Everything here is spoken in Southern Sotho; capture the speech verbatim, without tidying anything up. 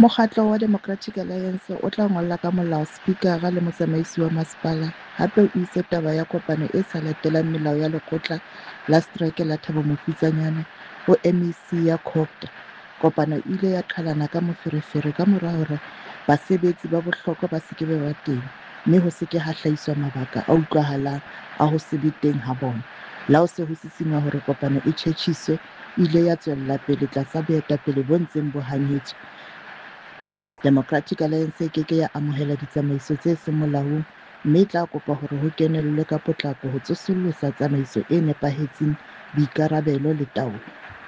Mokgatlo wa Democratic Alliance o tla ngolla ka molao Sepikara le Motsamaisi wa Masepala hape o ise taba ya kopano e sa latelang melao ya Lekgotla la Setereke la Thabo Mofutsanyana ho M E C ya COGTA. Kopano e ile ya qhalana ka moferefere kamora hore basebetsi ba bohlokwa ba se ke ba ba teng mme ho se ke ha hlahiswa mabaka a utlwahalang a ho se be teng ha bona. Le ha ho se ho sisinngwa hore kopano e tjhetjhiswe, e ile ya tswella pele tlasa boetapele bo ntseng bo hanyetswa. Democratic Alliance e ke ke ya amohela ditsamaiso tse seng molaong mme e tla kopa hore ho kenellwe ka potlako ho tsosolosa tsamaiso e nepahetseng, boikarabelo le taolo.